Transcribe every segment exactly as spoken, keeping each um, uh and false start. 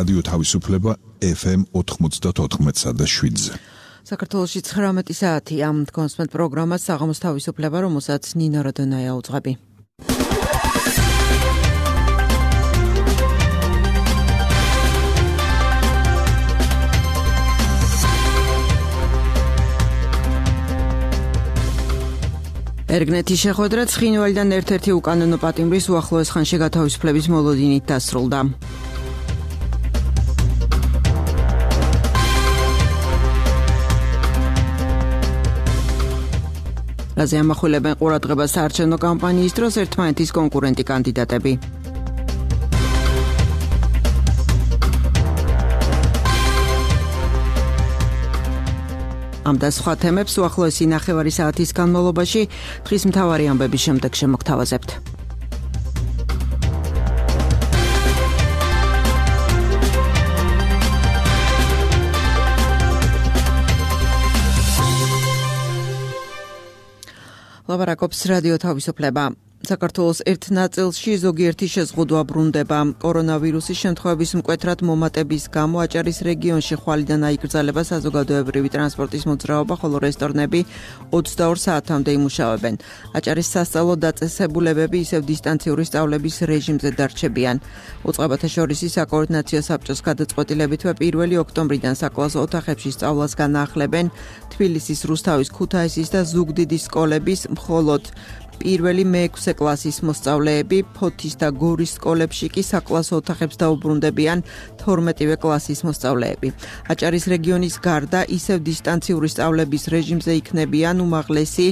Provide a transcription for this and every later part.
რადიო თავისუფლება ეფ ემ ოთხმოცდაოთხ და შვიდზე. საქართველოში ცხრამეტი საათია. კონსმეთ პროგრამას საღამოს თავისუფლება, რომელსაც ნინო როდონაია უძღვები. ერგნეთის შეხვედრა ცხინვალიდან ერთ-ერთი უკანონო პატიმრის უახლოეს ხანში გათავისუფლების მოლოდინით დასრულდა. რაზე ამახვილებენ ყურადღებას საარჩევნო კამპანიის დროს ერთმანეთის კონკურენტი კანდიდატები. ამ და სხვა თემებს უახლოესი ნახევარი საათის განმავლობაში დღის მთავარი ამბების შემდეგ შემოგთავაზებთ. ლაპარაკობს რადიო თავისუფლება. საქართველოს ერთ ნაწილში ზოგიერთი შეზღუდვა ბრუნდება. კორონავირუსის შემთხვევების მკვეთრად მომატების გამო აჭარის რეგიონში ხვალიდან აიკრძალება საზოგადოებრივი ტრანსპორტის მოძრაობა, ხოლო რესტორნები ოცდაორ საათამდე იმუშავებენ. აჭარის სასწავლო დაწესებულებები ისევ დისტანციური სწავლების რეჟიმზე დარჩებიან. უწყებათა შორისი საკოორდინაციო საბჭოს გადაწყვეტილებითვე პირველი ოქტომბრიდან საკლასო ოთახებში სწავლას განაახლებენ თბილისის, რუსთავის, ქუთაისის და ზუგდიდის სკოლების, მხოლოდ პირველი მეექვსე კლასის მოსწავლეები, ფოთის და გორის სკოლებში კი საკლასო ოთახებს დაუბრუნდებიან თორმეტივე კლასის მოსწავლეები. აჭარის რეგიონის გარდა ისევ დისტანციური სწავლების რეჟიმზე იქნებიან უმაღლესი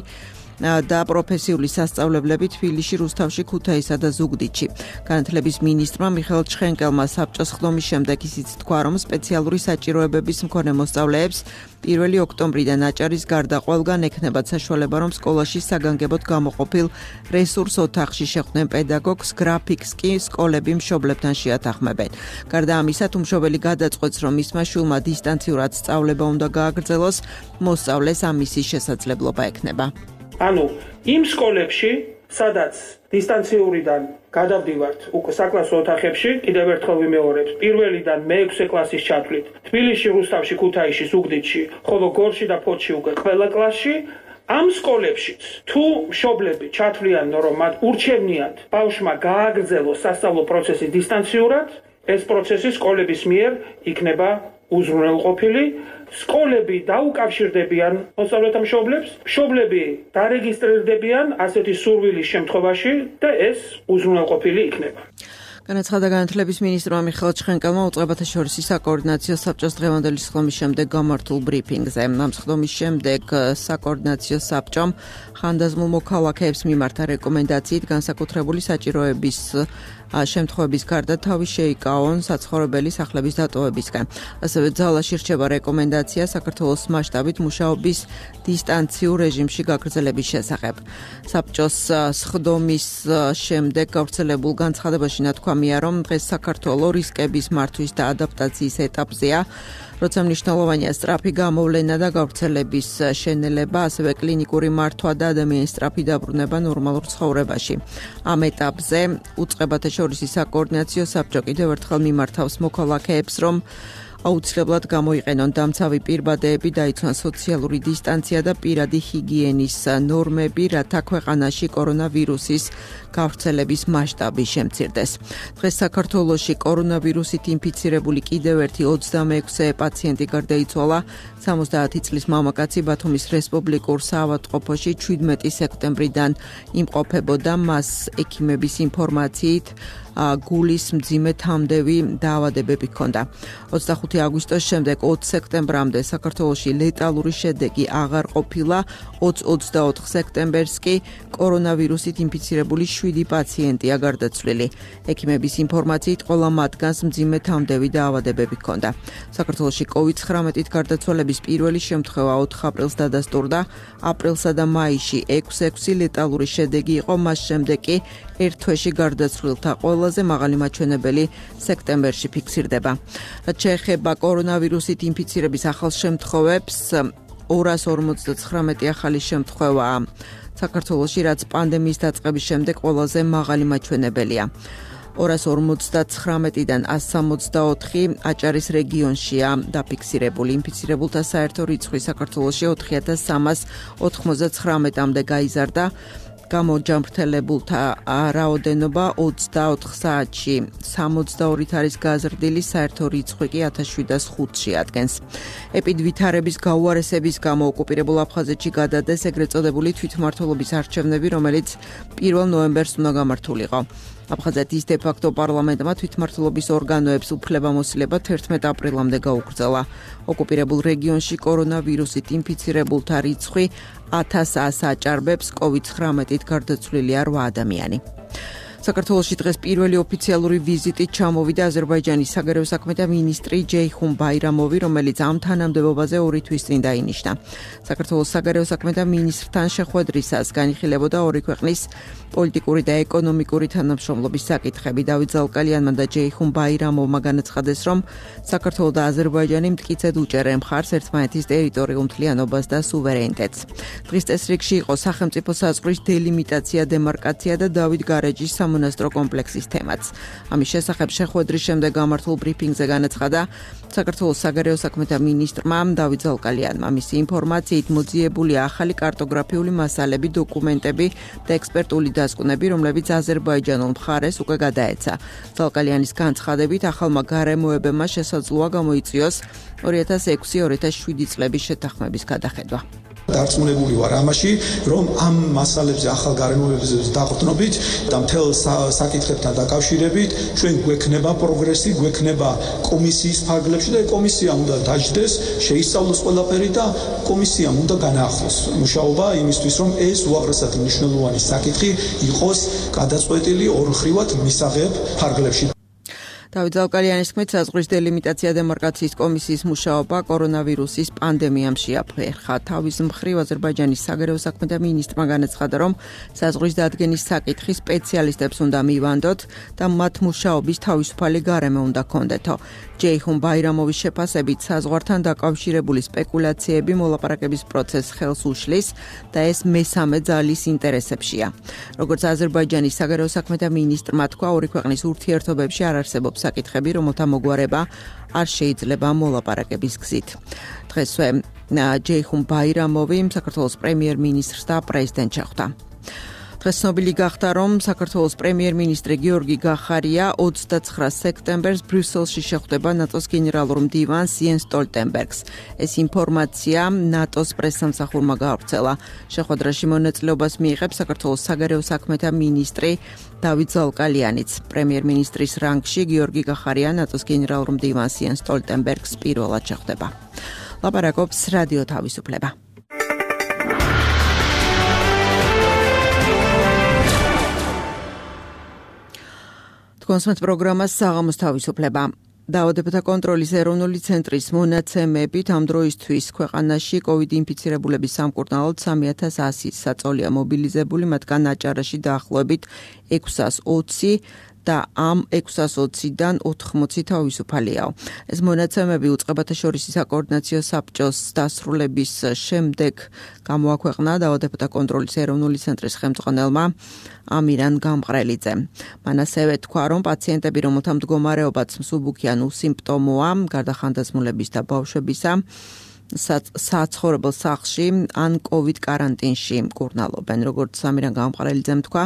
და პროფესიული სასწავლებლები თბილისში, რუსთავში, ქუთაისსა და ზუგდიდში. განათლების მინისტრმა მიხეილ ჩხენკელმა საბჭოს ხდომის შემდეგ ისიც თქვა, რომ სპეციალური საჭიროებების მქონე მოსწავლეებს პირველი ოქტომბრიდან აჭარის გარდა ყველგან ექნებათ საშუალება, რომ სკოლაში საგანგებოდ გამოყოფილ რესურს ოთახში შეხვდნენ პედაგოგს, გრაფიკს კი სკოლები მშობლებთან შეათანხმებენ. გარდა ამისა, თუ მშობელი გადაწყვეტს, რომ მისმა შვილმა დისტანციურად სწავლება უნდა გააგრძელოს, მოსწავლეს ამისი შესაძლებლობა ექნება. ანუ იმ სკოლებში, სადაც დისტანციურიდან გადავდივართ უკვე საკლასო ოთახებში, კიდევ ერთხელ ვიმეორებთ, პირველიდან მეექვსე კლასის ჩათვლით, თბილისში, რუსთავში, ქუთაისში, ზუგდიდში, ხოლო გორში და ფოთში უკვე ყველა კლასში, ამ სკოლებშიც თუ მშობლები ჩათვლიან, რომ მათ ურჩევნიათ ბავშვმა გააგრძელოს სასწავლო პროცესი დისტანციურად, ეს პროცესი სკოლების მიერ იქნება უზრუნველყოფილი. სკოლები დაუკავშირდებიან მოსწავლეთა მშობლებს, მშობლები დარეგისტრირდებიან ასეთი სურვილის შემთხვევაში და ეს უზრუნველყოფილი იქნება. განაცხადა განათლების მინისტრმა მიხეილ ჩხენკელმა უწყებათა შორისი საკოორდინაციო საბჭოს დღევანდელი სხდომის შემდეგ გამართულ ბრიფინგზე. ამ სხდომის შემდეგ საკოორდინაციო საბჭომ ხანდაზმულ მოქალაქეებს მიმართა რეკომენდაციით განსაკუთრებული საჭიროების შემთხვევების გარდა თავი შეიკავონ საცხოვრებელი სახლების დატოვებისგან. ასევე ძალაში რჩება რეკომენდაცია საქართველოს მასშტაბით მუშაობის დისტანციურ რეჟიმში გაგრძელების შესახებ. საბჭოს სხდომის შემდეგ გავრცელებულ განცხადებაში ნათქვამია, რომ დღეს საქართველოს რისკების მართვის და ადაპტაციის ეტაპზეა, როცა მნიშვნელოვანია სწრაფი გამოვლენა და გავრცელების შენელება, ასევე კლინიკური მართვა და ადამიანის სწრაფი დაბრუნება ნორმალურ ცხოვრებაში. ამ ეტაპზე უწყებათა შორისი საკოორდინაციო საბჭო კიდევ ერთხელ მიმართავს მოქალაქეებს, რომ აუცილებლად გამოიყენონ დამცავი პირბადეები, დაიცვან სოციალური დისტანცია და პირადი ჰიგიენის ნორმები, რათა ქვეყანაში კორონავირუსის გავრცელების მასშტაბი შემცირდეს. დღეს საქართველოში კორონავირუსით ინფიცირებული კიდევ ერთი ოცდამეექვსე პაციენტი გარდაიცვალა. სამოცდაათი წლის მამაკაცი ბათუმის რესპუბლიკურ საავადმყოფოში შვიდმეტი სექტემბრიდან იმყოფებოდა. მას ექიმების ინფორმაციით გულის მძიმე თამდევი დაავადებები ჰქონდა. ოცდახუთი აგვისტოს შემდეგ ოც სექტემბრამდე საქართველოში ლეტალური შედეგი აღარ ყოფილა. ოცდაოთხ სექტემბერს კი კორონავირუსით ინფიცირებული შვიდი პაციენტია გარდაცვლილი. ექიმების ინფორმაციით ყველა მათგანს მძიმე თამდევი დაავადებები ჰქონდა. საქართველოში კოვიდ ცხრამეტით გარდაცვალების პირველი შემთხვევა ოთხ აპრილს დადასტურდა. აპრილსა და მაისში ექვსი ექვსი ლეტალური შედეგი იყო, მას შემდეგ კი ერთ თვეში გარდაცვლილთა ყველაზე მაღალი მაჩვენებელი სექტემბერში ფიქსირდება. რაც შეეხება კორონავირუსით ინფიცირების ახალ შემთხვევებს, ორას ორმოცდაცხრამეტი ახალი შემთხვევაა საქართველოში, რაც პანდემიის დაწყების შემდეგ ყველაზე მაღალი მაჩვენებელია. ორას ორმოცდაცხრამეტიდან ასს სამოცდაოთხი აჭარის რეგიონშია დაფიქსირებული. ინფიცირებულთა საერთო რიცხვი საქართველოში ოთხი ათას სამას ოთხმოცდაცხრამეტამდე გაიზარდა. გამოჯამრთელებულთა რაოდენობა ოცდაოთხ საათში სამოცდაორით არის გაზრდილი, საერთო რიცხვი კი ათას შვიდას ხუთში ადგენს. ეპიდვითარების გაუარესების გამო ოკუპირებულ აფხაზეთში გადადეს ეგრეთ წოდებული თვითმმართველობის არჩევნები, რომელიც პირველ ნოემბერს უნდა გამართულიყო. აფხაზეთის დე-ფაქტო პარლამენტმა თვითმმართველობის ორგანოებს უფლებამოსილება თერთმეტ აპრილამდე გაუგრძელა. ოკუპირებულ რეგიონში კორონავირუსით ინფიცირებულთა რიცხვი ათას ასს აჭარბებს, კოვიდ ცხრამეტით გარდაცვლილია რვა ადამიანი. საქართველოში დღეს პირველი ოფიციალური ვიზიტით ჩამოვიდა აზერბაიჯანის საგარეო საქმეთა მინისტრი ჯეიხუნ ბაირამოვი, რომელიც ამ თანამდებობაზე ორი თვის წინ დაინიშნა. საქართველოს საგარეო საქმეთა მინისტრთან შეხვედრისას განიხილებოდა ორი ქვეყნის პოლიტიკური და ეკონომიკური თანამშრომლობის საკითხები. დავით ზალკალიანმა და ჯეიხუნ ბაირამოვმა განაცხადეს, რომ საქართველო და აზერბაიჯანი მტკიცედ უჭერენ მხარს ერთმანეთის ტერიტორიულ მთლიანობას და სუვერენიტეტს. დღის წესრიგში იყო სახელმწიფო საზღვრის დელიმიტაცია, დემარკაცია და დავით გარეჯის სამონასტრო კომპლექსის თემაც. ამის შესახებ შეხვედრის შემდეგ გამართულ ბრიფინგზე განაცხადა საქართველოს საგარეო საქმეთა მინისტრმა დავით ზალკალიანმა. მისი ინფორმაციით მოძიებულია ახალი კარტოგრაფიული მასალები, დოკუმენტები და ექსპერტული დასკვნები, რომლებიც აზერბაიჯანულ მხარეს უკვე გადაეცა. ზალკალიანის განცხადებით, ახალმა გარემოებებმა შესაძლოა გამოიწვიოს ორი ათას ექვსი ორი ათას შვიდი წლების შეთანხმების გადახედვა. დარწმუნებული ვარ ამაში, რომ ამ მასალებზე, ახალ გარემოებებზე დაყრდნობით და მთელ საკითხებთან დაკავშირებით ჩვენ გვექნება პროგრესი, გვექნება კომისიის ფარგლებში და კომისია უნდა დაждდეს, შეისწავლოს ყველაფერი და კომისიამ უნდა განაახლოს მუშაობა იმისთვის, რომ ეს უაღრესად მნიშვნელოვანი საკითხი იყოს გადაწყვეტილი ორმხრივად მისაღებ ფარგლებში. დავით ზალკალიანის თქმით, საზღვრის დელიმიტაცია დემარკაციის კომისიის მუშაობა კორონავირუსის პანდემიამ შეაფერხა. თავის მხრივ აზერბაიჯანის საგარეო საქმეთა მინისტრმა განაცხადა, რომ საზღვრის დადგენის საკითხი სპეციალისტებს უნდა მივანდოთ და მათ მუშაობის თავისუფალი გარემო უნდა ჰქონდეთო. ჯეიხუნ ბაირამოვის შეფასებით, საზღვართან დაკავშირებული სპეკულაციები მოლაპარაკების პროცესს ხელს უშლის და ეს მესამე ძალის ინტერესებშია. როგორც აზერბაიჯანის საგარეო საქმეთა მინისტრმა თქვა, ორი ქვეყნის ურთიერთობებში არ არსებობს საკითხები, რომელთა მოგვარება არ შეიძლება მოლაპარაკების გზით. დღესვე ჯეიხუნ ბაირამოვი საქართველოს პრემიერ-მინისტრს და პრეზიდენტს შეხვდა. დღეს ცნობილი გახდა, რომ საქართველოს პრემიერ-მინისტრი გიორგი გახარია ოცდაცხრა სექტემბერს ბრიუსელში შეხვდება ნატოს გენერალურ მდივანს იენს სტოლტენბერგს. ეს ინფორმაცია ნატოს პრესსამსახურმა გაავრცელა. შეხვედრაში მონაწილეობას მიიღებს საქართველოს საგარეო საქმეთა მინისტრი დავით ზალკალიანიც. პრემიერ-მინისტრის რანგში გიორგი გახარია ნატოს გენერალურ მდივანს იენს სტოლტენბერგს პირველად შეხვდება. ლაპარაკობს რადიო თავისუფლება. კონსმეთ პროგრამას საღამოს თავისუფლება. დაავადებათა კონტროლის ეროვნული ცენტრის მონაცემებით ამ დროისთვის ქვეყანაში კოვიდ ინფიცირებულების სამკურნალოდ სამი ათას ასი საწოლია მობილიზებული, მათგან აჭარაში დაახლოებით ექვსას ოცი და ამ ექვსას ოციდან ოთხმოცი თავისუფალიაო. ეს მონაცემები უწყებათა შორისი საკოორდინაციო საბჭოს დასრულების შემდეგ გამოაქვეყნა დაავადებათა კონტროლის ეროვნული ცენტრის ხელმძღვანელმა ამირან გამყრელიძემ. მან ასევე თქვა, რომ პაციენტები, რომელთა მდგომარეობაც მსუბუქი ან უსიმპტომოა, გარდა ხანდაზმულების და ბავშვებისა, საცხოვრებელ სახლში ან კოვიდ კარანტინში მკურნალობენ. როგორც ამირან გამყრელიძემ თქვა,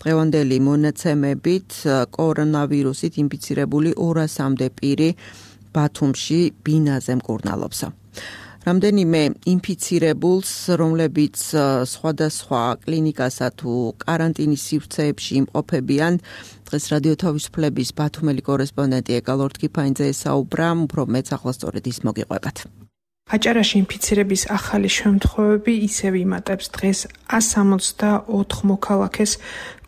დღევანდელი მონაცემებით კორონავირუსით ინფიცირებული ორასამდე პირი ბათუმში ბინაზე მკურნალობს. რამდენიმე ინფიცირებულს, რომლებიც სხვადასხვა კლინიკასა თუ კარანტინის სივრცეებში იმყოფებიან, დღეს რადიო თავისუფლების ბათუმელი კორესპონდენტი ეკალორდ კიფაინძე ესაუბრა, უფრო მეც ახლა სწორედ ის მოგიყვებათ. აჭარაში ინფიცირების ახალი შემთხვევები ისევ იმატებს დღეს ას სამოცდაოთხ მოქალაქეს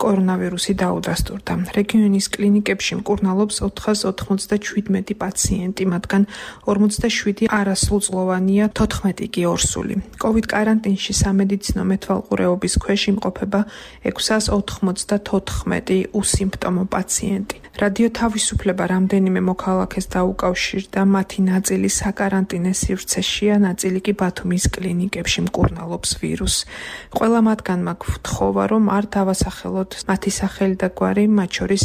კორონავირუსი დაუდასტურდა. რეგიონის კლინიკებში მკურნალობს ოთხას ოთხმოცდაშვიდმეტი პაციენტი, მათგან ორმოცდაშვიდი არასრულწლოვანია, თოთხმეტი კი ორსული. კოვიდ კარანტინში სამედიცინო მეთვალყურეობის ქვეშ იმყოფება ექვსას ოთხმოცდათოთხმეტი უსიმპტომო პაციენტი. რადიო თავისუფლება რამდენიმე მოქალაქეს დაუკავშირდა, მათი ნაწილი საკარანტინე სივრცეშია, ნაწილი კი ბათუმის კლინიკებში მკურნალობს ვირუსს. ყველა მათგანმა გთხოვა, რომ არ დავასახელოთ მათი სახელი და გვარი, მათ შორის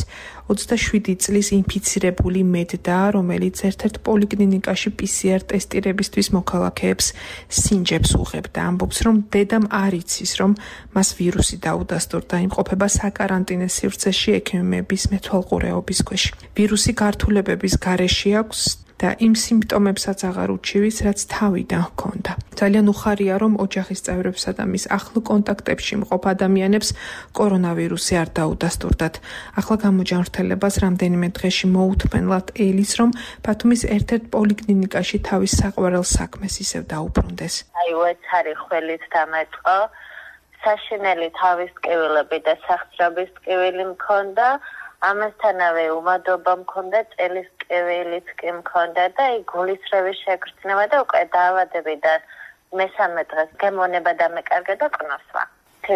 ოცდაშვიდი წლის ინფიცირებული მედდა, რომელიც ერთ-ერთ პოლიკლინიკაში პი სი არ ტესტირებისთვის მოქალაქეებს სინჯებს უღებდა. ამბობს, რომ დედამ არ იცის, რომ მას ვირუსი დაუდასტურდა, იმყოფება საკარანტინე სივრცეში ექიმების მეთვალყურეობის ქვეშ. ვირუსი გართულებების გარეშე აქვს და იმ სიმპტომებსაც აღარ უჩივის, რაც თავიდან ჰქონდა. ძალიან უხარია, რომ ოჯახის წევრებსა და მის ახლო კონტაქტებში მყოფ ადამიანებს კორონავირუსი არ დაუდასტურდათ. ახლა გამოჯანმრთელებას რამდენიმე დღეში მოუთმენლად ელის, რომ ბათუმის ერთ-ერთ პოლიკლინიკაში თავის საყვარელ საქმეს ისევ დაუბრუნდეს. აი უეცარი ხველით დამეწყო, საშინელი თავის ტკივილები და სახსრების ტკივილი მქონდა. ამასთანავე უმადობა მქონდა, წელის ტკივილიც კი მქონდა და აი გულისრევის შეგრძნება და უკვე დაავადებიდან მესამე დღეს გემონება დამეკარგა და ყნოსვა.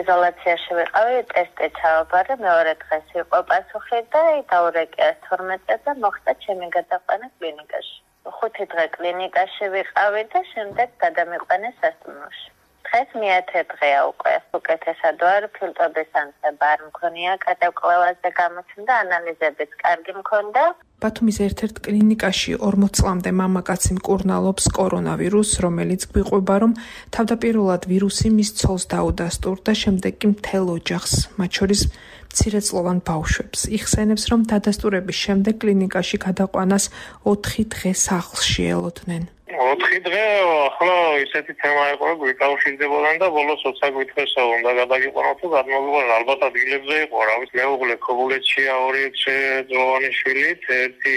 იზოლაციაში ვიყავი, ტესტი ჩავაბარე, მეორე დღეს იყო პასუხი და აი დაურეკია თორმეტ და მოხდა ჩემი გადაყვანა კლინიკაში. ხუთი დღე კლინიკაში ვიყავი და შემდეგ გადამიყვანეს სასტუმროში. დღეს მეათე დღეა უკვე. უკეთესად ვარ, ფილტრების ანსება არ მქონია, გადავკვლევაზე გამოცემდა, ანალიზებიც კარგი მქონდა. ბათუმის ერთ-ერთ კლინიკაში ორმოც წლამდე მამაკაცი მკურნალობს კორონავირუსს, რომელიც გვიყვება, რომ თავდაპირველად ვირუსი მის ცოლს დაუდასტურდა, შემდეგ კი მთელ ოჯახს, მათ შორის მცირეწლოვან ბავშვებს. იხსენებს, რომ დადასტურების შემდეგ კლინიკაში გადაყვანას ოთხი დღე სახლში ელოდნენ. ოთხი დღე ახლა ისეთი თემა იყო, გვიკავშირდებოდა და ბოლოს ოცდა გვითხრესა უნდა გადაგიყვანოთ თუ გადმოგვიყვანოთ. ალბათ ადგილებზე იყო, რა ვიცი, მეუღლე ქობულეთშია, ორი წლოვანი შვილით, ერთი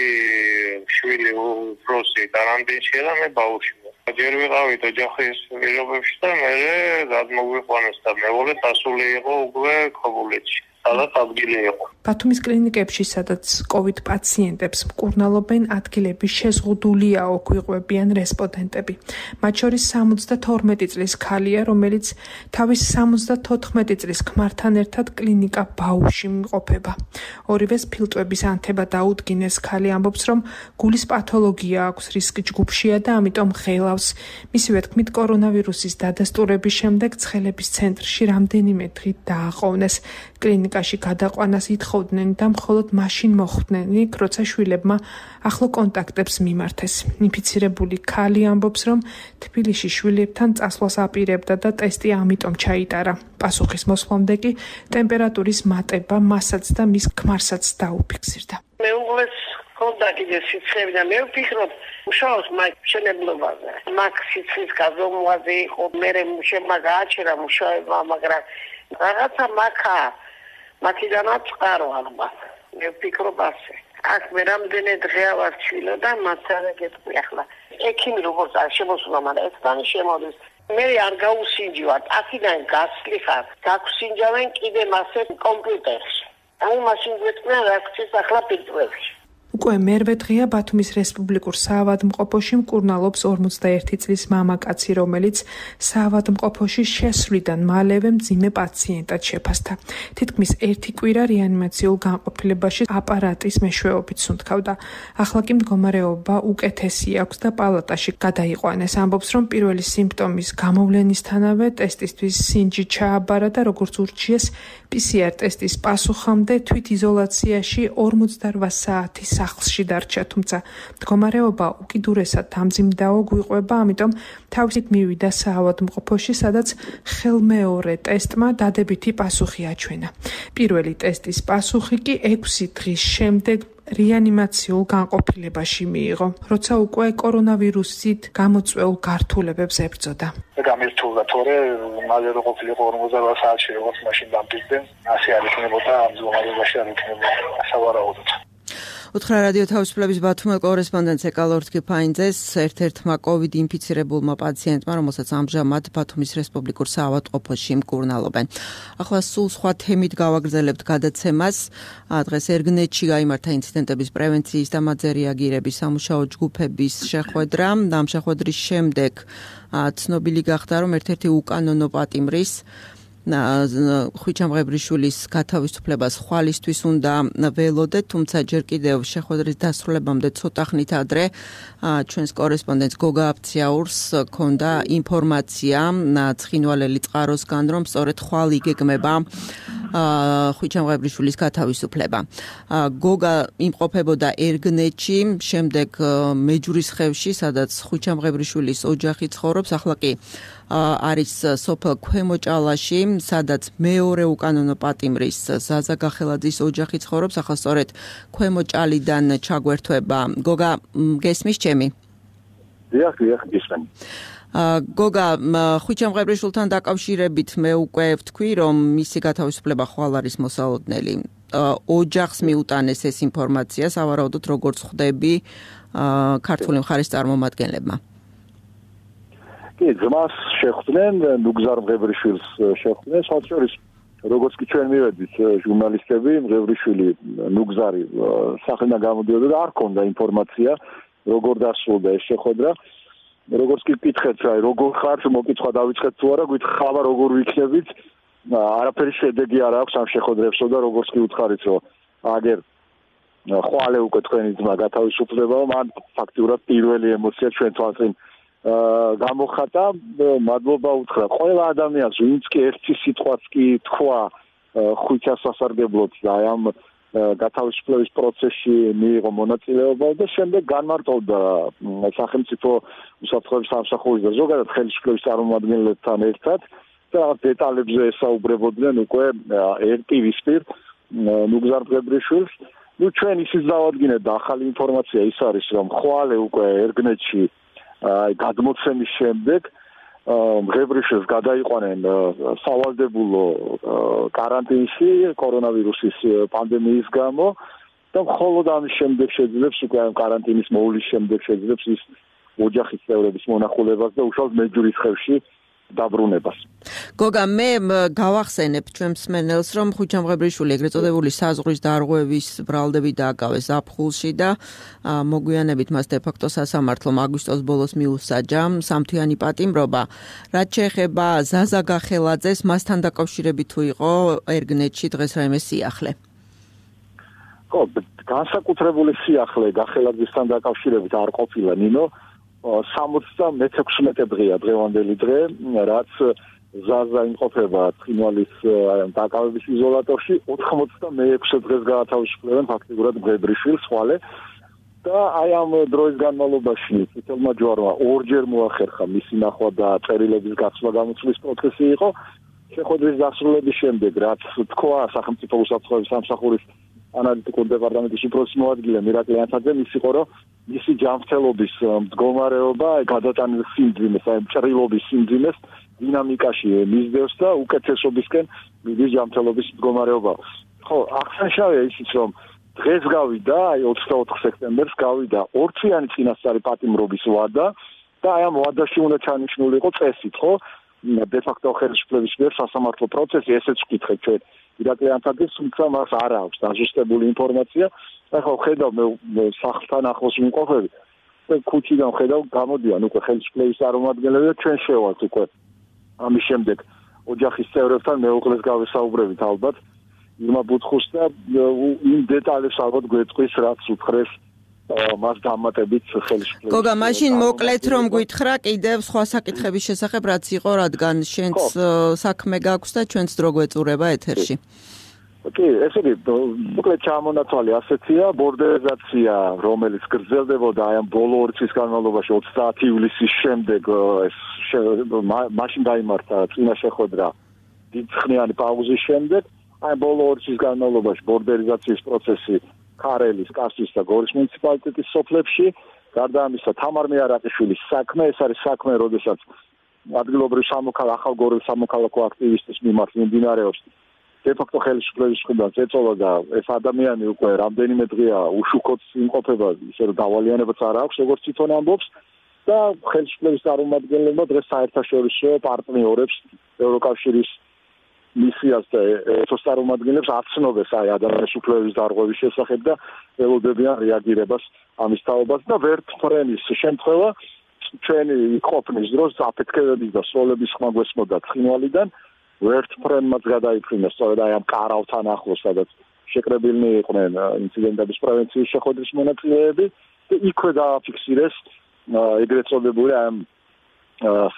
შვილი უფროსი კარანტინშია და მე ბავშვი. ჯერ ვიყავით ოჯახის პირობებში და მე გადმოგვიყვანეს და მეუღლე დასული იყო უკვე ქობულეთში. სადაც ადგილი იყო. ბათუმის კლინიკებში, სადაც კოვიდ პაციენტებს მკურნალობენ, ადგილები შეზღუდულიაო, გვიყვებიან რესპონდენტები. მათ შორის სამოცდათორმეტი წლის ქალია, რომელიც თავის სამოცდათოთხმეტი წლის ქმართან ერთად კლინიკა ბაუში იმყოფება. ორივეს ფილტვების ანთება დაუდგინეს. ქალი ამბობს, რომ გულის პათოლოგია აქვს, რისკი ჯგუფშია და ამიტომ ღელავს. მისივე თქმით, კორონავირუსის დადასტურების შემდეგ ცხელების ცენტრში რამდენიმე დღით დააყოვნეს. კლინიკაში გადაყვანას ითხოვდნენ და მხოლოდ მაშინ მოხვდნენ, როცა შვილებმა ახლო კონტაქტებს მიმართეს. ინფიცირებული ქალი ამბობს, რომ თბილისში შვილებთან წასვლას აპირებდა და ტესტი ამიტომ ჩაიტარა. პასუხის მოსვლამდე კი ტემპერატურის მატება მასაც და მის ქმარსაც დაუფიქსირდა. მეუღლეს ჰქონდა კიდე სიცხეები და მე ვფიქრობ, მუშაობს მაგ მშენებლობაზე. მაგ სიცხის გაზომვაზე იყო, მე მუშებმა გააჩერა მუშაობა, მაგრამ რაღაცა მაქა მათიდანაც წყარო ალბათ. მე ვფიქრობ ასე. აქ მე რამდენი დღეა ვარ ჩვილო და მათ არ გეტყვი ახლა. ექიმი როგორც არ შემოსულა, მაგრამ ესთან შემოდის. მე არ გაუსინჯავთ, აქედან გასვლი ხარ. გაგვსინჯავენ კიდე მასე კომპიუტერში. აი მაშინ გვეტყვიან რა გწეს ახლა ფილტრებში. უკვე მერვე დღეა ბათუმის რესპუბლიკურ საავადმყოფოში მკურნალობს ორმოცდაერთი წლის მამაკაცი, რომელიც საავადმყოფოში შესვლიდან მალევე მძიმე პაციენტად შეფასდა. თითქმის ერთი კვირა რეანიმაციულ განყოფილებაში აპარატის მეშვეობით სუნთქავდა. ახლა კი მდგომარეობა უკეთესი აქვს და პალატაში გადაიყვანეს. ამბობს, რომ პირველი სიმპტომის გამოვლენისთანავე ტესტისთვის სინჯი ჩააბარა და როგორც ურჩიეს, პი სი არ ტესტის პასუხამდე თვითიზოლაციაში ორმოცდაოთხ საათი სახლში დარჩა, თუმცა მდგომარეობა უკიდურესად დამძიმდაო გვიყვება, ამიტომ თავისით მივიდა საავადმყოფოში, სადაც ხელმეორე ტესტმა დადებითი პასუხი აჩვენა. პირველი ტესტის პასუხი კი ექვსი დღის შემდეგ რეანიმაციულ განყოფილებაში მიიღო, როცა უკვე კორონავირუსით გამოწვეულ გართულებებს ებრძოდა. გამირთულდა თორე მალე რო ყოფილიყო ორმოცდაოთხ საათში როგორც მაშინ დამტკიცდნენ, ასე არ იქნებოდა ამ მდგომარეობაში არ იქნებოდა სავარაუდოდ. უთხრა რადიო თავისუფლების ბათუმელ კორესპონდენტს ეკალორთკი ფაინძეს ერთ-ერთმა კოვიდ ინფიცირებულმა პაციენტმა, რომელსაც ამჟამად ბათუმის რესპუბლიკურ საავადმყოფოში მკურნალობენ. ახლა სულ სხვა თემით გავაგრძელებთ გადაცემას. დღეს ერგნეტში გაიმართა ინციდენტების პრევენციის და მათზე რეაგირების სამუშაო ჯგუფების შეხვედრა. ამ შეხვედრის შემდეგ ცნობილი გახდა, რომ ერთ-ერთი უკანონო პატიმრის ხვიჩამღებრიშვილის გათავისუფლებას ხვალისთვის უნდა ველოდეთ, თუმცა ჯერ კიდევ შეხვედრის დასრულებამდე ცოტა ხნით ადრე ჩვენს კორესპონდენტს გოგა აფციაურს ჰქონდა ინფორმაცია ცხინვალელი წყაროსგან, რომ სწორედ ხვალ იგეგმება ხვიჩამღებრიშვილის გათავისუფლება. გოგა იმყოფებოდა ერგნეთში, შემდეგ მეჯურისხევში, სადაც ხვიჩამღებრიშვილის ოჯახი ცხოვრობს, ახლა კი არის სოფელ ქვემოჭალაში, სადაც მეორე უკანონო პატიმრის ზაზა გახელაძის ოჯახი ცხოვრობს, ახლა სწორედ ქვემოჭალიდან ჩაგვერთვება. გოგა, გესმის ჩემი? დიახ, დიახ, გესმენ. გოგა, ხვიჩამღებრიშვილთან დაკავშირებით მე უკვე ვთქვი, რომ მისი გათავისუფლება ხვალ არის მოსალოდნელი. ოჯახს მიუტანეს ეს ინფორმაცია, სავარაუდოდ როგორც ხვდები ქართული მხარის წარმომადგენლებმა. კი, ძმას შეხვდნენ, ნუგზარ მღებრიშვილს შეხვდნენ, საერთოდ როგორც კი ჩვენ მივედით ჟურნალისტები, მღებრიშვილი ნუგზარი სახელიდან გამოდიოდა და არ ჰქონდა ინფორმაცია, როგორ დასრულდა ეს შეხვედრა. როგორც კი გკითხეთ, აი როგორ ხართ, მოკითხვა დავიწყეთ თუ არა, გითხავა როგორ ვიქნებით, არაფერი შედეგი არ აქვს ამ შეხვედრებსო და როგორც კი უთხარით, რომ აგერ ხვალე უკვე თქვენი ძმა გათავისუფლებაა, მან ფაქტიურად პირველი ემოცია ჩვენ თვალწინ გამოხატა, მადლობა უთხრა ყველა ადამიანს, ვინც კი ერთი სიტყვაც კი თქვა ხვიჩას სასარგებლოდ და აი ამ გათავისუფლების პროცესში მიიღო მონაწილეობა და შემდეგ განმარტოვდა სახელმწიფო უსაფრთხოების სამსახურის და ზოგადად ხელისუფლების წარმომადგენლებთან ერთად და დეტალებზე ესაუბრებოდნენ უკვე ერკივისპირ ნუგზარ მღებრიშვილს. ნუ ჩვენ ისიც დავადგინეთ და ახალი ინფორმაცია ის არის, რომ ხვალე უკვე ერგნეთში აი გადმოცემის შემდეგ მღებრიშვილს გადაიყვანენ სავალდებულო კარანტინში კორონავირუსის პანდემიის გამო და მხოლოდ ამის შემდეგ შეძლებს უკვე ამ კარანტინის მოვლის შემდეგ შეძლებს ის ოჯახის წევრების მონახულებას და უშუალოდ მეჯურისხევში დაბრუნებას. გოგა, მე გავახსენებ ჩვენ მსმენელს, რომ ხვიჩამღებრიშვილი ეგრეთ წოდებული საზღვრის დარღვევის ბრალდები დააკავეს ზაფხულში და მოგვიანებით მას დე-ფაქტო სასამართლომ აგვისტოს ბოლოს მიუსაჯა სამთვიანი პატიმრობა. რაც შეეხება ზაზა გახელაძეს, მასთან დაკავშირებით თუ იყო ერგნეთში დღეს რაიმე სიახლე? ხო, განსაკუთრებული სიახლე გახელაძესთან დაკავშირებით არ ყოფილა, ნინო. სამოცდა მეექვსმეტე დღეა დღევანდელი დღე, რაც ზაზა იმყოფება ცხინვალის დაკავების იზოლატორში, ოთხმოცდამეექვსე დღეს გაათავისუფლებენ ფაქტიურად მღებრიშვილს ხვალე და აი ამ დროის განმავლობაში წითელმა ჯვარმა ორჯერ მოახერხა მისი ნახვა და წერილების გაცვლა გამოცვლის პროცესი იყო. შეხვედრის დასრულების შემდეგ, რაც თქვა სახელმწიფო უსაფრთხოების სამსახურის ანალიტიკურ დეპარტამენტის უფროსის მოადგილე მირაკლი ანთაძემ, ის იყო, რომ მისი ჯანმრთელობის მდგომარეობა გადატანილ სიმძიმეს, აი ჭრილობის სიმძიმეს დინამიკაში მისდევს და უკეთესობისკენ მიდის ჯანმრთელობის მდგომარეობა. ხო, აღსანიშნავია ისიც, რომ დღეს გავიდა, აი ოცდაოთხ სექტემბერს გავიდა ორთვიანი წინასწარი პატიმრობის ვადა და აი ამ ვადაში უნდა ჩანიშნული იყო წესით, ხო? დე-ფაქტო ხელისუფლების მიერ სასამართლო პროცესი, ესეც ვკითხეთ ჩვენ მირაკლი ანთაძეს, თუმცა მას არ აქვს დაზუსტებული ინფორმაცია. ახლა ხედავ მე სახლთან ახლოს ვიმყოფები და ქუჩიდან ხედავ გამოდიან უკვე ხელისუფლების წარმომადგენლები და ჩვენ შევალთ უკვე ამის შემდეგ ოჯახის წევრებთან მეუღლეს გავესაუბრებით ალბათ ირმა ბუთხუს და იმ დეტალებს ალბათ გვეტყვის რაც უთხრეს მას დამატებით ხელისუფლების. გოგა, მაშინ მოკლედ რომ გითხრა კიდევ სხვა საკითხების შესახებ რაც იყო, რადგან შენც საქმე გაქვს და ჩვენც დრო გვეწურება ეთერში. კი, ესე იგი, მოკლედ ჩამონათვალი ასეთია, ბორდერიზაცია, რომელიც გრძელდებოდა აი ამ ბოლო ორი წლის განმავლობაში ოცდაათი ივლისის შემდეგ ეს მაშინ გაიმართა წინა შეხვედრა დიდხნიანი პაუზის შემდეგ, აი ბოლო ორი წლის განმავლობაში ბორდერიზაციის პროცესი ქარელის, კასტის და გორის მუნიციპალიტეტის სოფლებში, გარდა ამისა თამარ მეარაყიშვილის საქმე, ეს არის საქმე, როდესაც ადგილობრივ სამოქალაქო ახალგოროვის სამოქალაქო აქტივისტის მიმართ მიმდინარეობს დე-ფაქტო ხელისუფლების მხრიდან წეწოლა და ეს ადამიანი უკვე რამდენიმე დღეა უშუქოთ იმყოფება, ისე რომ დავალიანებაც არ აქვს, როგორც თვითონ ამბობს და ხელისუფლების წარმომადგენლებმა დღეს საერთაშორისო პარტნიორებს ევროკავშირის მისიას და ეთოს წარმომადგენლებს აცნობეს აი ადამიანის უფლებების დარღვევის შესახებ და ველოდებიან რეაგირებას ამის თაობას და ვერტფრენის შემთხვევა ჩვენი ყოფნის დროს აფეთქებების და სროლების ხმა გვესმოდა ცხინვალიდან ვერთ ფრენმაც გადაიფრინეს სწორედ აი ამ კარავთან ახლოს, სადაც შეკრებილნი იყვნენ ინციდენტების პრევენციის შეხვედრის მონაწილეები და იქვე დააფიქსირეს ეგრეთ წოდებული ამ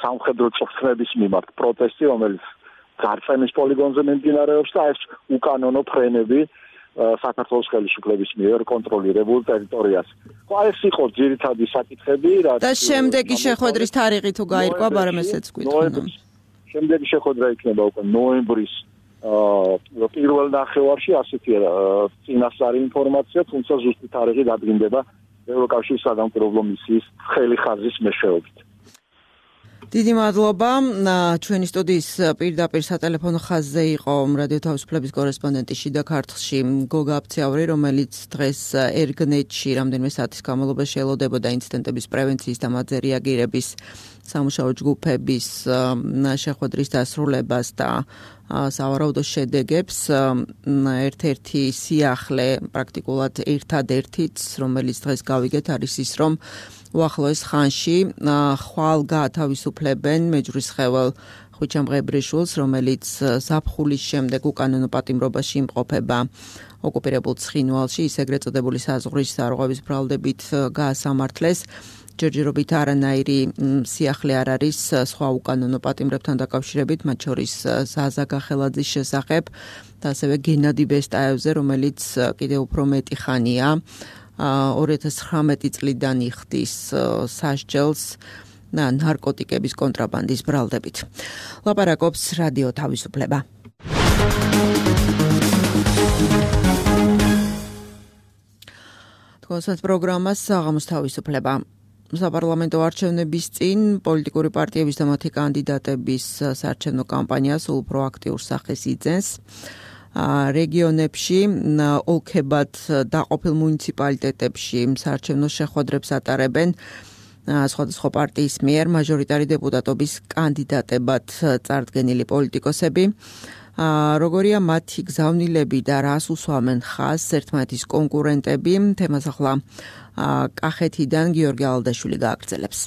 სამხედრო წვრთნების მიმართ პროტესტი, რომელიც ძარცემის პოლიგონზე მიმდინარეობს და ეს უკანონო ფრენები საქართველოს ხელისუფლების მიერ კონტროლირებულ ტერიტორიას. ხო, ეს იყო ძირითადი საკითხები, რაც და შემდეგი შეხვედრის თარიღი თუ გაირკვა, მაგრამ ესეც გვითხოვნა. შემდეგი შეხვედრა იქნება უკვე ნოემბრის პირველ ნახევარში, ასეთი წინასწარი ინფორმაცია, თუმცა ზუსტი თარიღი დადგინდება ევროკავშირის სადამკვირვებლო მისიის ცხელი ხაზის მეშვეობით. დიდი მადლობა. ჩვენი სტუდიის პირდაპირ სატელეფონო ხაზზე იყო რადიო თავისუფლების კორესპონდენტი შიდა ქართლში გოგა აფციავრი, რომელიც დღეს ერგნეტში რამდენიმე საათის განმავლობაში ელოდებოდა ინციდენტების პრევენციის და მათზე რეაგირების სამუშაო ჯგუფების შეხვედრის დასრულებას და სავარაუდო შედეგებს. ერთ-ერთი სიახლე პრაქტიკულად ერთადერთიც, რომელიც დღეს გავიგეთ, არის ის, რომ უახლოეს ხანში ხვალ გაათავისუფლებენ მეჯვრისხევალ ხვიჩამ ღებრიშვილს, რომელიც ზაფხულის შემდეგ უკანონო პატიმრობაში იმყოფება ოკუპირებულ ცხინვალში, ის ეგრეთ წოდებული საზღვრის სარღვევის ბრალდებით გაასამართლეს. ჯერჯერობით არანაირი სიახლე არ არის სხვა უკანონო პატიმრებთან დაკავშირებით, მათ შორის ზაზა გახელაძის შესახებ და ასევე გენადი ბესტაევზე, რომელიც კიდევ უფრო მეტი ხანია ორი ათას ცხრამეტი წლიდან იხდის სასჯელს ნარკოტიკების კონტრაბანდის ბრალდებით. ლაპარაკობს რადიო თავისუფლება. თქვენს პროგრამას საღამოს თავისუფლება. საპარლამენტო არჩევნების წინ პოლიტიკური პარტიების და მათი კანდიდატების საარჩევნო კამპანია სულ უფრო აქტიურ სახეს იძენს. რეგიონებში, ოლქებად დაყოფილ მუნიციპალიტეტებში საარჩევნო შეხვედრებს ატარებენ სხვადასხვა პარტიის მიერ მაჟორიტარი დეპუტატობის კანდიდატებად წარდგენილი პოლიტიკოსები. როგორია მათი გზავნილები და რას უსვამენ ხაზს ერთმანეთის კონკურენტები, თემას ახლა კახეთიდან გიორგი ალდაშვილი გააგრძელებს.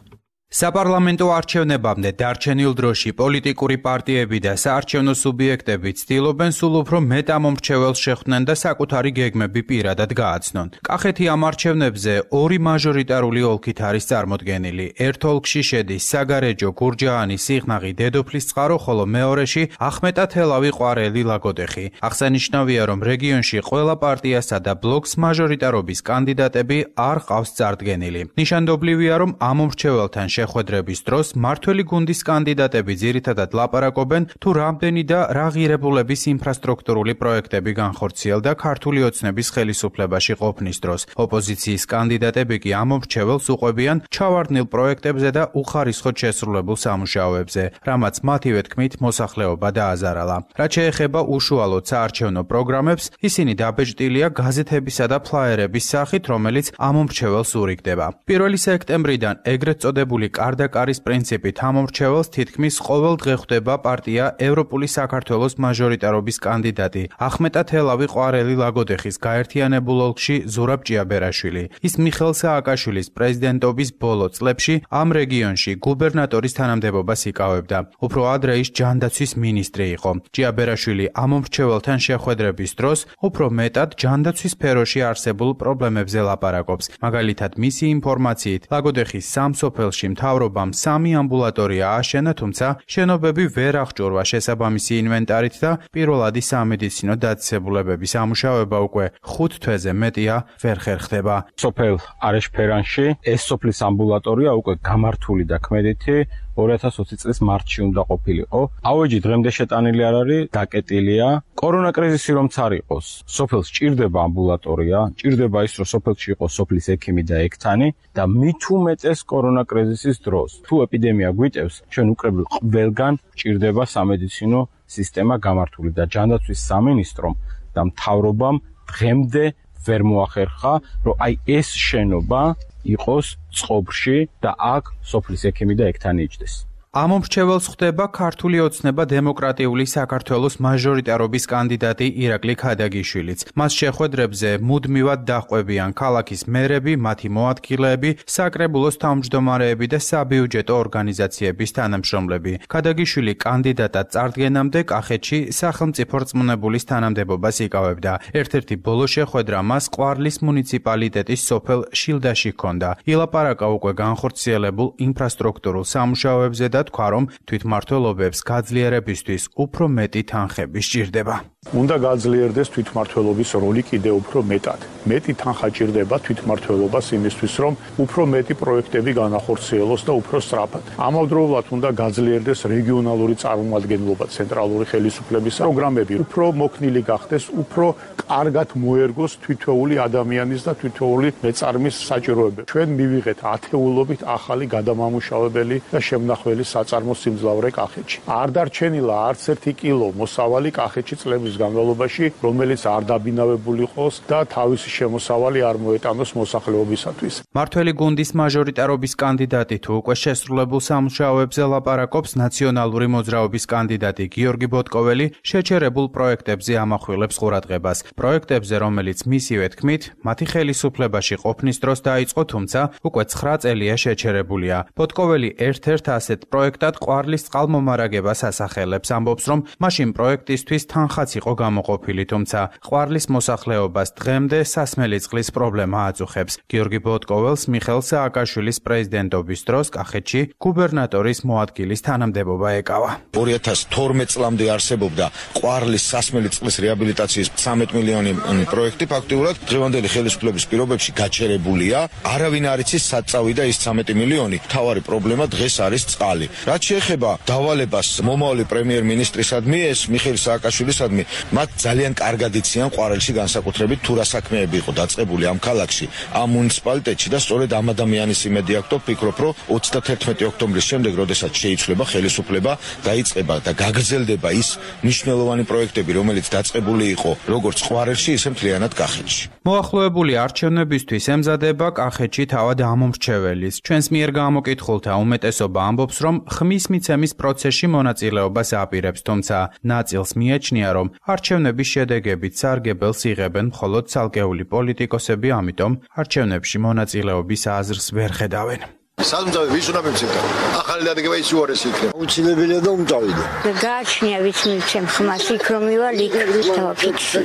საპარლამენტო არჩევნებამდე დარჩენილ დროში პოლიტიკური პარტიები და საარჩევნო სუბიექტები ცდილობენ სულ უფრო მეტ ამომრჩეველს შეხვდნენ და საკუთარი გეგმები პირადად გააცნონ. კახეთი ამ არჩევნებზე ორი მაჟორიტარული ოლქით არის წარმოდგენილი. ერთ ოლქში შედის საგარეჯო, გურჯაანი, სიღნაღი, დედოფლისწყარო, ხოლო მეორეში ახმეტათელავი, ყვარელი, ლაგოდეხი. აღსანიშნავია, რომ რეგიონში ყველა პარტიასა და ბლოკს მაჟორიტარობის კანდიდატები არ ყავს წარდგენილი. ნიშანდობლივია, რომ ამომრჩეველთან შეხვედრების დროს მართველი გუნდის კანდიდატები ძირითადად ლაპარაკობენ თუ რამდენი და რა ღირებულების ინფრასტრუქტურული პროექტები განხორციელდა ქართული ოცნების ხელისუფლებაში ყოფნის დროს. ოპოზიციის კანდიდატები კი ამომრჩეველს უყვებიან ჩავარდნილ პროექტებზე და უხარისხოდ შესრულებულ სამუშაოებზე, რამაც მათივე თქმით მოსახლეობა დააზარალა. რაც შეეხება უშუალოდ საარჩევნო პროგრამებს, ისინი დაბეჭდილია გაზეთებისა და ფლაიერების სახით, რომელიც ამომრჩეველს ურიგდება. პირველი სექტემბრიდან ეგრეთ წოდებული კარდაკარის პრინციპით ამომრჩეველს თითქმის ყოველ დღე ხვდება პარტია ევროპული საქართველოს მაჟორიტარობის კანდიდატი ახმეტათელავი, ყვარელი, ლაგოდეხის გაერთიანებულ ოლქში ზურაბ ჭიაბერაშვილი. ის მიხელ სააკაშვილის პრეზიდენტობის ბოლო წლებში ამ რეგიონში გუბერნატორის თანამდებობას იკავებდა. უფრო ადრე ის ჯანდაცვის მინისტრი იყო. ჭიაბერაშვილი ამომრჩეველთან შეხვედრების დროს უფრო მეტად ჯანდაცვის სფეროში არსებულ პრობლემებზე ლაპარაკობს. მაგალითად, მისი ინფორმაციით, ლაგოდეხის სამ სოფელში მთავრობამ სამი ამბულატორია ააშენა, თუმცა შენობები ვერ აღჭურვა შესაბამისი ინვენტარით და პირველადი სამედიცინო დაწესებულებების ამუშავება უკვე ხუთ თვეზე მეტია ვერ ხერხდება. სოფელ არეშფერანში ეს სოფლის ამბულატორია უკვე გამართული და ქმედითი ორი ათას ოცი წლის მარტში უნდა ყოფილიყო. ავეჯი დღემდე შეტანილი არ არის, დაკეტილია. კორონა კრიზისი რომც არ იყოს, სოფელს ჭირდება ამბულატორია, ჭირდება ის, რომ სოფელში იყოს სოფლის ექიმი და ექთანი და მით უმეტეს კორონა კრიზისის დროს. თუ ეპიდემია გვიტევს, ჩვენ უკრებულ ყველგან ჭირდება სამედიცინო სისტემა გამართული და ჯანდაცვის სამინისტრომ და მთავრობამ დღემდე ვერ მოახერხა, რომ აი ეს შენობა იყოს წყობრში და აქ სოფლის ექიმი და ექთანი იჯდეს. ამ მომრჩეველს ხვდება ქართული ოცნება დემოკრატიული საქართველოს მაჟორიტარობის კანდიდატი ირაკლი ქადაგიშვილიც. მას შეხვედრებზე მუდმივად დაჰყვებიან ქალაქის მერები, მათი მოადგილეები, საკრებულოს თავმჯდომარეები და საბიუჯეტო ორგანიზაციების თანამშრომლები. ქადაგიშვილი კანდიდატად წარდგენამდე კახეთში სახელმწიფო რწმუნებულის თანამდებობას იკავებდა. ერთ-ერთი ბოლო შეხვედრა მას ყვარლის მუნიციპალიტეტის სოფელ შილდაში ჰქონდა. ილაპარაკა უკვე განხორციელებულ ინფრასტრუქტურულ სამუშაოებზე და თქვა, რომ თვითმმართველობებს გაძლიერებისთვის უფრო მეტი თანხები სჭირდება. უნდა გაძლიერდეს თვითმმართველობის როლი კიდევ უფრო მეტად. მეტი თანხა ჭირდება თვითმმართველობას იმისთვის, რომ უფრო მეტი პროექტები განახორციელოს და უფრო სწრაფად. ამავდროულად უნდა გაძლიერდეს რეგიონალური წარმომადგენლობა, ცენტრალური ხელისუფლების პროგრამები, უფრო მოქნილი გახდეს, უფრო კარგად მოერგოს თითოეული ადამიანის და თითოეული მეწარმის საჭიროებები. ჩვენ მივიღეთ ათეულობით ახალი გადამამუშავებელი და შემნახველი საწარმო სიმძლავრე კახეთში. არ დარჩენილა არც ერთი კილო მოსავალი კახეთში წლების განმავლობაში, რომელიც არ დაბინავებული იყოს და თავისი შემოსავალი არ მოეტანოს მოსახლეობისათვის. მართველი გუნდის მაჟორიტარობის კანდიდატი თუ უკვე შესრულებულ სამუშაოებზე ლაპარაკობს, ნაციონალური მოძრაობის კანდიდატი გიორგი ბოტკოველი შეჩერებულ პროექტებზე ამახვილებს ყურადღებას. პროექტებზე, რომელიც მისივე თქმით, მათი ხელისუფლებაში ყოფნის დროს დაიწყო, თუმცა უკვე ცხრა წელია შეჩერებულია. ბოტკოველი ერთ-ერთ ასეთ პროექტად ყვარლის წყალმომარაგებას ასახელებს, ამბობს, რომ მაშინ პროექტისთვის თანხაც იყო გამოყოფილი, თუმცა ყვარლის მოსახლეობას დღემდე სასმელი წყლის პრობლემა აწუხებს. გიორგი ბოტკოველს მიხეილ სააკაშვილის პრეზიდენტობის დროს კახეთში გუბერნატორის მოადგილის თანამდებობა ეკავა. ორი ათას თორმეტ წლამდე არსებობდა ყვარლის სასმელი წყლის რეაბილიტაციის ცამეტ მილიონი პროექტი, ფაქტიურად დღევანდელი ხელისუფლების პირობებში გაჩერებულია. არავინ არ იცის სად წავიდა ის ცამეტი მილიონი. მთავარი პრობლემა დღეს არის წყალი. რაც შეეხება დავალებას მომავალი პრემიერ-მინისტრისადმი, ეს მიხეილ სააკაშვილისადმი, მათ ძალიან კარგად იციან ყვარელში განსაკუთრებით თუ რა საქმეები იყო დაწყებული ამ ქალაქში, ამ მუნიციპალიტეტში და სწორედ ამ ადამიანის იმედი აქვს, ვფიქრობ, რომ ოცდათერთმეტი ოქტომბრის შემდეგ, როდესაც შეიცვლება ხელისუფლება, დაიწყება და გაგრძელდება ის მნიშვნელოვანი პროექტები, რომელიც დაწყებული იყო როგორც ყვარელში, ისე მთლიანად კახეთში. მოახლოებული არჩევნებისთვის ემზადება კახეთში თავად ამომრჩეველის. ჩვენს მიერ გამოკითხულთა უმეტესობა ამბობს, რომ ხმის მიცემის პროცესში მონაწილეობას აპირებს, თუმცა ნაწილს მიაჩნია, რომ არჩევნების შედეგებით სარგებელს იღებენ მხოლოდ ცალკეული პოლიტიკოსები, ამიტომ არჩევნებში მონაწილეობის აზრს ვერ ხედავენ. სამდავი ვის უნდა მივცემდა? ახალი დადგება ის უარესი იქნება. უცილებელია და უმტავია. გააჩნია ვის მივცემ ხმას, იქ რომ მივალ იქ დავაფიქსე.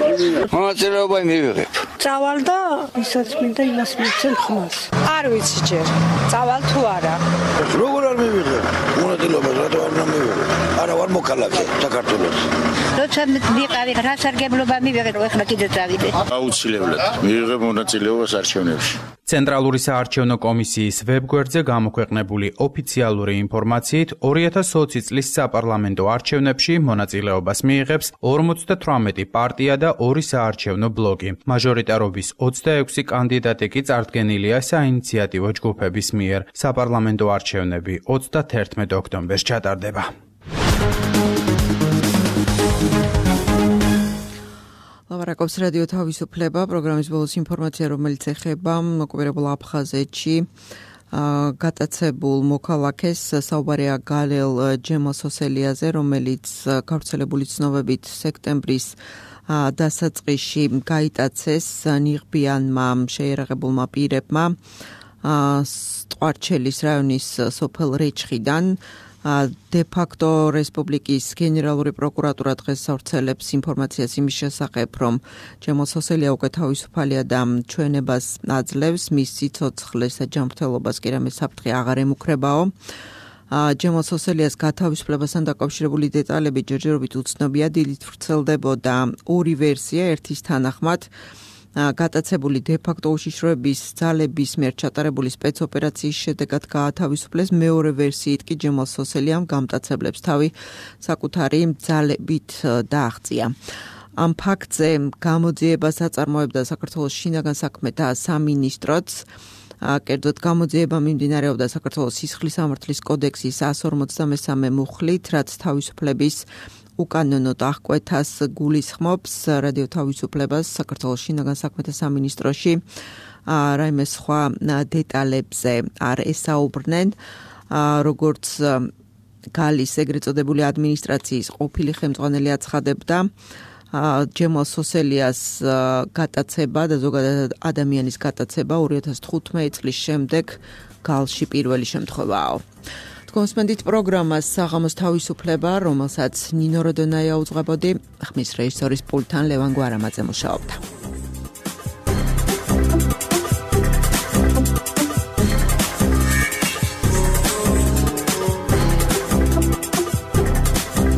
მონაწილეობა მივიღებ. წავალ და ისაც მინდა იმას მივცემ ხმას. არ ვიცი ჯერ. წავალ თუ არა. როგორ არ მივიღებ? მონაწილეობას რატო არ მივიღებ? არა ვარ მოქალაქე საქართველოს. როცა მიყავი რა სარგებლობა მივიღე, ეხლა კიდე წავიდე. აუცილებლად მივიღებ მონაწილეობას არჩევნებში. ცენტრალური საარჩევნო კომისიის ვებგვერდზე გამოქვეყნებული ოფიციალური ინფორმაციით, ორი ათას ოცი წლის საპარლამენტო არჩევნებში მონაწილეობას მიიღებს ორმოცდათვრამეტი პარტია და ორი საარჩევნო ბლოკი. მაჟორიტარობის ოცდაექვსი კანდიდატი კი წარდგენილია საინიციატივო ჯგუფების მიერ. საპარლამენტო არჩევნები ოცდათერთმეტ ოქტომბერს ჩატარდება. ლაპარაკობს რადიო თავისუფლება, პროგრამის ბოლოს ინფორმაცია, რომელიც ეხება ოკუპირებულ აფხაზეთში გატაცებულ მოქალაქეს, საუბარია გალელ ჯემალსოსელიაზე, რომელიც გავრცელებული ცნობებით სექტემბრის დასაწყისში გაიტაცეს ნიღბიანმა შეიარაღებულმა პირებმა ტყვარჩელის რაიონის სოფელ რეჩხიდან. დე-ფაქტო რესპუბლიკის გენერალური პროკურატურა დღეს ავრცელებს ინფორმაციას იმის შესახებ, რომ ჯემალსოსელია უკვე თავისუფალია და ჩვენებას აძლევს, მის სიცოცხლეს და ჯანმრთელობას კი რამე საფრთხე აღარ ემუქრებაო. ჯემალსოსელიას გათავისუფლებასთან დაკავშირებული დეტალები ჯერჯერობით უცნობია, დილით ვრცელდებოდა ორი ვერსია, ერთის თანახმად გატაცებული დე-ფაქტო უშიშროების ძალების მიერ ჩატარებული სპეცოპერაციის შედეგად გაათავისუფლეს, მეორე ვერსიით კი ჯემალსოსელიამ გამტაცებლებს თავი საკუთარი ძალებით დააღწია. ამ ფაქტზე გამოძიებას აწარმოებდა საქართველოს შინაგან საქმეთა სამინისტროც. კერძოდ გამოძიება მიმდინარეობდა საქართველოს სისხლის სამართლის კოდექსის εκατს ორმოცდამესამე მუხლით, რაც თავისუფლების უკანონოდ აღკვეთას გულისხმობს. რადიო თავისუფლებას საქართველოს შინაგან საქმეთა სამინისტროში რაიმე სხვა დეტალებზე არ ესაუბრნენ. როგორც გალის ეგრეთ წოდებული ადმინისტრაციის ყოფილი ხელმძღვანელი აცხადებდა ჯემალ სოსელიას გატაცება და ზოგადად ადამიანის გატაცება ორი ათას თხუთმეტი წლის შემდეგ გალში პირველი შემთხვევაა. კონსპენდით პროგრამას საღამოს თავისუფლება, რომელსაც ნინო როდონაია უძღვებოდი, ხმის რეჟისორის პულტთან ლევან გვარამაძე მუშაობდა.